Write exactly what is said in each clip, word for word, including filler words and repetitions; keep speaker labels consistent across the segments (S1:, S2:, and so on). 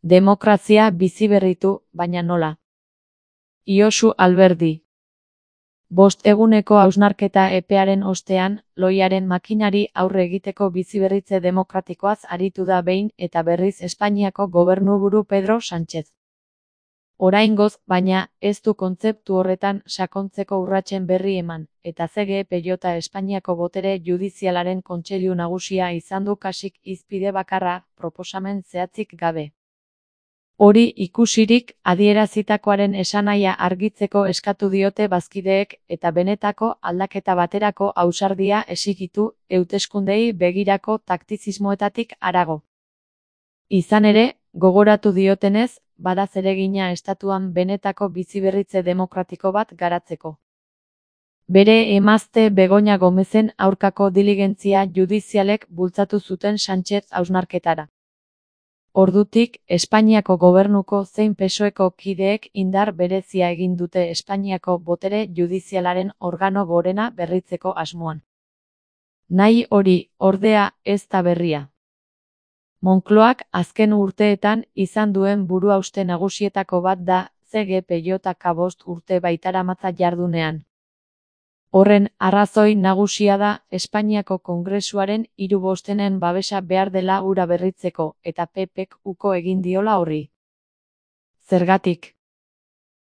S1: Demokrazia biziberritu, baina nola? Josu Alberdi. Bost eguneko hausnarketa epearen ostean, loiaren makinari aurre egiteko biziberritze demokratikoaz aritu da behin eta berriz Espainiako gobernuburu Pedro Sánchez. Oraingoz, baina, ez du kontzeptu horretan sakontzeko urratsen berri eman, eta C G P J Espainiako botere judizialaren kontseilu nagusia izan du kasik hizpide bakarra, proposamen zehatzik gabe. Hori ikusirik, adierazitakoaren esanahia argitzeko eskatu diote bazkideek eta benetako aldaketa baterako ausardia exigitu, hauteskundei begirako taktizismoetatik harago. Izan ere, gogoratu diotenez, bada zeregina estatuan benetako biziberritze demokratiko bat garatzeko. Bere emazte Begoña Gomezen aurkako diligentzia judizialek bultzatu zuten Sánchez hausnarketara. Ordutik, Espainiako gobernuko zein P S O Eko kideek indar berezia egin dute Espainiako botere judizialaren organo gorena berritzeko asmoan. Nahi hori, ordea, ez da berria. Moncloak azken urteetan izan duen buruhauste nagusietako bat da C G P J bost urte baitaramatza jardunean. Horren arrazoi nagusia da Espainiako Kongresuaren hiru bostenen babesa behar dela hura berritzeko eta P Pk uko egin diola horri. Zergatik?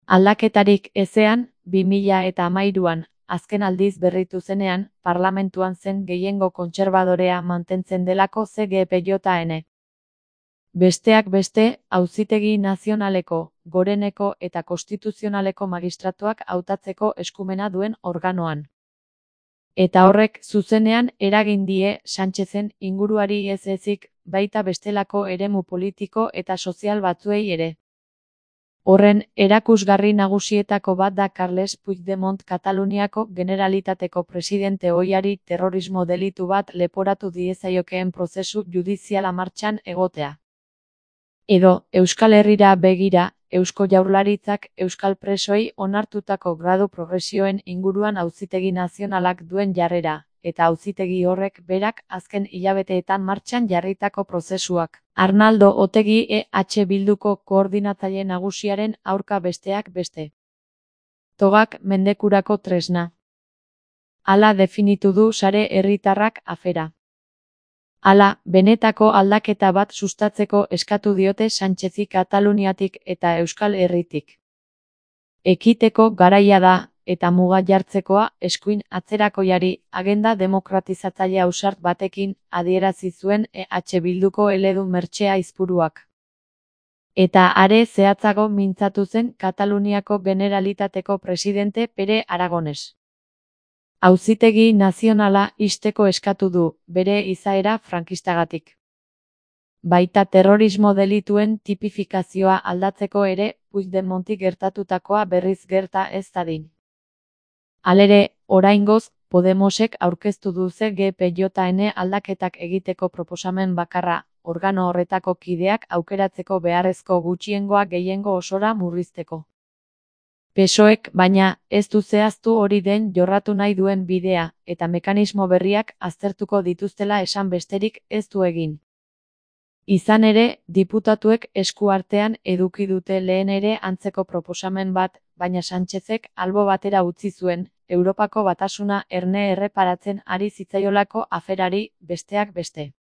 S1: Aldaketarik ezean, bi mila eta hamairuan, azken aldiz berritu zenean, parlamentuan zen gehiengo kontserbadorea mantentzen delako C G P J N. Besteak beste, Auzitegi Nazionaleko, Goreneko eta Konstituzionaleko magistratuak hautatzeko eskumena duen organoan. Eta horrek zuzenean eragin die Sánchezen inguruari ez ezik, baita bestelako eremu politiko eta sozial batzuei ere. Horren erakusgarri nagusietako bat da Carles Puigdemont Kataluniako Generalitateko presidente ohiari terrorismo delitu bat leporatu diezaiokeen prozesu judiziala martxan egotea. Edo, Euskal Herrira begira, Eusko Jaurlaritzak euskal presoei onartutako gradu progresioen inguruan Auzitegi Nazionalak duen jarrera, eta auzitegi horrek berak azken hilabeteetan martxan jarritako prozesuak. Arnaldo Otegi E H Bilduko koordinatzaile nagusiaren aurka besteak beste. Togak mendekurako tresna. Hala definitu du Sare Herritarrak afera. Hala, benetako aldaketa bat sustatzeko eskatu diote Sánchezi Kataluniatik eta Euskal Herritik. Ekiteko garaia da, eta muga jartzekoa eskuin atzerakoiari agenda demokratizatzaile ausart batekin adierazi zuen E H Bilduko eledun mertxe aizpuruak. Eta are zehatzago mintzatu zen Kataluniako Generalitateko presidente Pere Aragones. Auzitegi Nazionala ixteko eskatu du, bere izaera frankistagatik. Baita terrorismo delituen tipifikazioa aldatzeko ere, Puigdemonti gertatutakoa berriz gerta ez dadin. Halere, oraingoz, Podemosek aurkeztu du C G P J N aldaketak egiteko proposamen bakarra, organo horretako kideak aukeratzeko beharrezko gutxiengoa gehiengo osora murrizteko. P S O Ek, baina, ez du zehaztu hori den jorratu nahi duen bidea, eta mekanismo berriak aztertuko dituztela esan besterik ez du egin. Izan ere, diputatuek esku artean eduki dute lehen ere antzeko proposamen bat, baina Sánchezek albo batera utzi zuen, Europako Batasuna erne erreparatzen ari zitzaiolako aferari, besteak beste.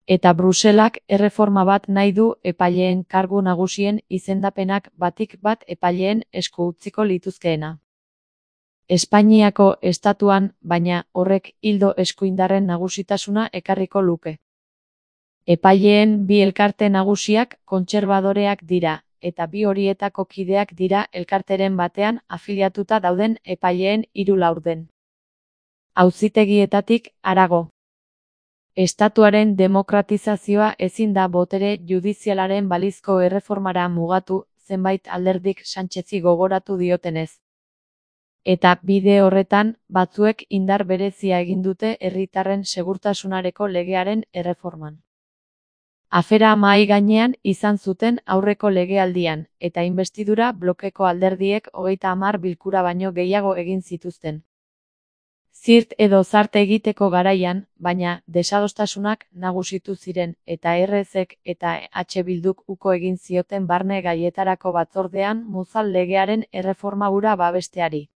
S1: Eta Bruselak erreforma bat nahi du epaileen kargu nagusien izendapenak batik bat epaileen esku utziko lituzkeena. Espainiako estatuan, baina, horrek ildo eskuindarren nagusitasuna ekarriko luke. Epaileen bi elkarte nagusiak kontserbadoreak dira, eta bi horietako kideak dira elkarteren batean afiliatuta dauden epaileen hiru laurden. Auzitegietatik harago. Estatuaren demokratizazioa ezin da botere judizialaren balizko erreformara mugatu, zenbait alderdik Sánchezi gogoratu diotenez. Eta bide horretan, batzuek indar berezia egin dute herritarren segurtasunareko legearen erreforman. Afera mahai gainean izan zuten aurreko legealdian, eta inbestidura blokeko alderdiek hogeita hamar bilkura baino gehiago egin zituzten. zirt edo zarte egiteko garaian, baina desadostasunak nagusitu ziren eta errezek eta H Bilduk uko egin zioten barne gaietarako batzordean Muzal legearen erreforma hura babesteari.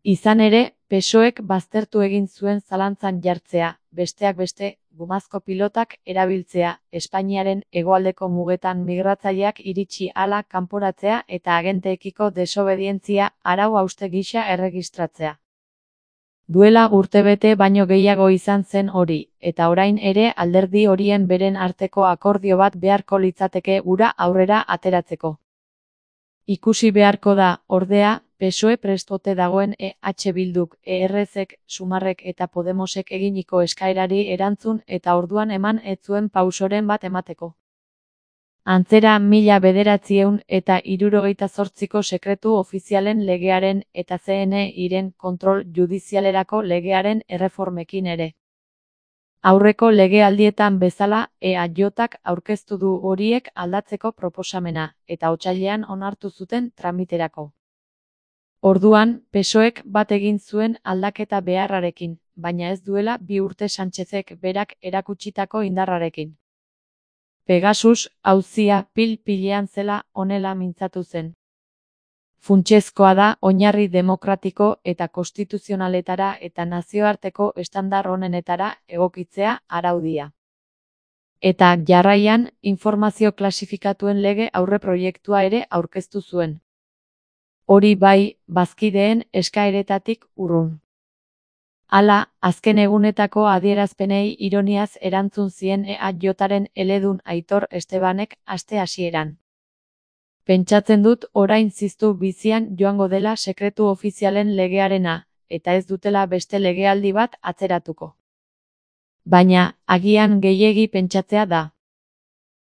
S1: Izan ere, P S O Ek baztertu egin zuen zalantzan jartzea, besteak beste, gumazko pilotak erabiltzea, Espainiaren hegoaldeko mugetan migratzaileak iritsi ahala kanporatzea eta agenteekiko desobedientzia arau hauste gisa erregistratzea. Duela urtebete baino gehiago izan zen hori, eta orain ere alderdi horien beren arteko akordio bat beharko litzateke hura aurrera ateratzeko. Ikusi beharko da, ordea, P S O E prest ote dagoen E H Bilduk, E R-ek, Sumarrek eta Podemosek eginiko eskaerari erantzun eta orduan eman ez zuen pausoren bat emateko. Antzera mila bederatziehun eta hirurogeita zortziko sekretu ofizialen legearen eta C N I-ren kontrol judizialerako legearen erreformekin ere. Aurreko legealdietan bezala, E A J-ak aurkeztu du horiek aldatzeko proposamena, eta otsailean onartu zuten tramiterako. Orduan, P S O Ek bat egin zuen aldaketa beharrarekin, baina ez duela bi urte Sánchezek berak erakutsitako indarrarekin. Pegasus, auzia pil-pilean zela honela mintzatu zen. Funtsezkoa da oinarri demokratiko eta konstituzionaletara eta nazioarteko estandar onenetara egokitzea araudia. Eta jarraian, informazio klasifikatuen lege aurreproiektua ere aurkeztu zuen. Hori bai, bazkideen eskaeretatik urrun. Hala, azken egunetako adierazpenei ironiaz erantzun zien E A J-aren eledun Aitor Estebanek aste hasieran. Pentsatzen dut orain ziztu bizian joango dela sekretu ofizialen legearena, eta ez dutela beste legealdi bat atzeratuko. Baina, agian gehiegi pentsatzea da.